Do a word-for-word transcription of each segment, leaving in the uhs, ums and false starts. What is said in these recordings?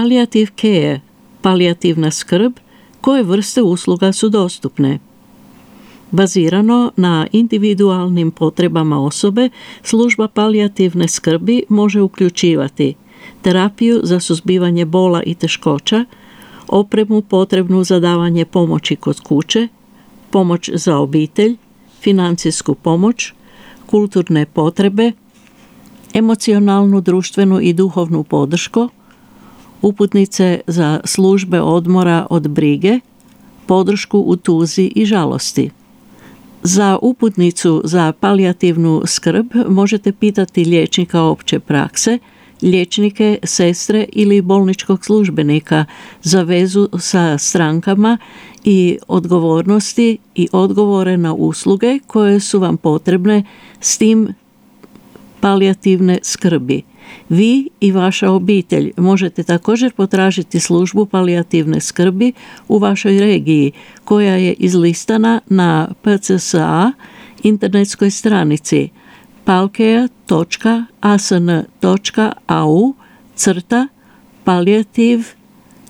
Palliative care, palijativna skrb, koje vrste usluga su dostupne. Bazirano na individualnim potrebama osobe, služba palijativne skrbi može uključivati terapiju za suzbivanje bola i teškoća, opremu potrebnu za davanje pomoći kod kuće, pomoć za obitelj, financijsku pomoć, kulturne potrebe, emocionalnu, društvenu i duhovnu podršku, uputnice za službe odmora od brige, podršku u tuzi i žalosti. Za uputnicu za palijativnu skrb možete pitati liječnika opće prakse, liječnike, sestre ili bolničkog službenika za vezu sa strankama i odgovornosti i odgovore na usluge koje su vam potrebne s tim palijativne skrbi. Vi i vaša obitelj možete također potražiti službu palijativne skrbi u vašoj regiji, koja je izlistana na p c s a internetskoj stranici palcare točka a s n točka a u crta palliative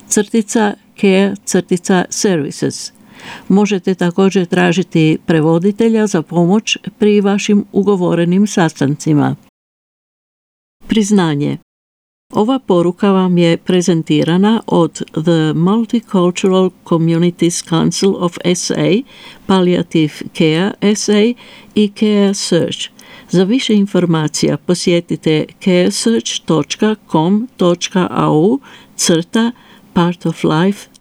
crtica care crtica services. Možete također tražiti prevoditelja za pomoć pri vašim ugovorenim sastancima. Priznanje. Ova poruka vam je prezentirana od The Multicultural Communities Council of S A, Palliative Care S A i Care Search. Za više informacija posjetite caresearch točka com točka a u crta part of life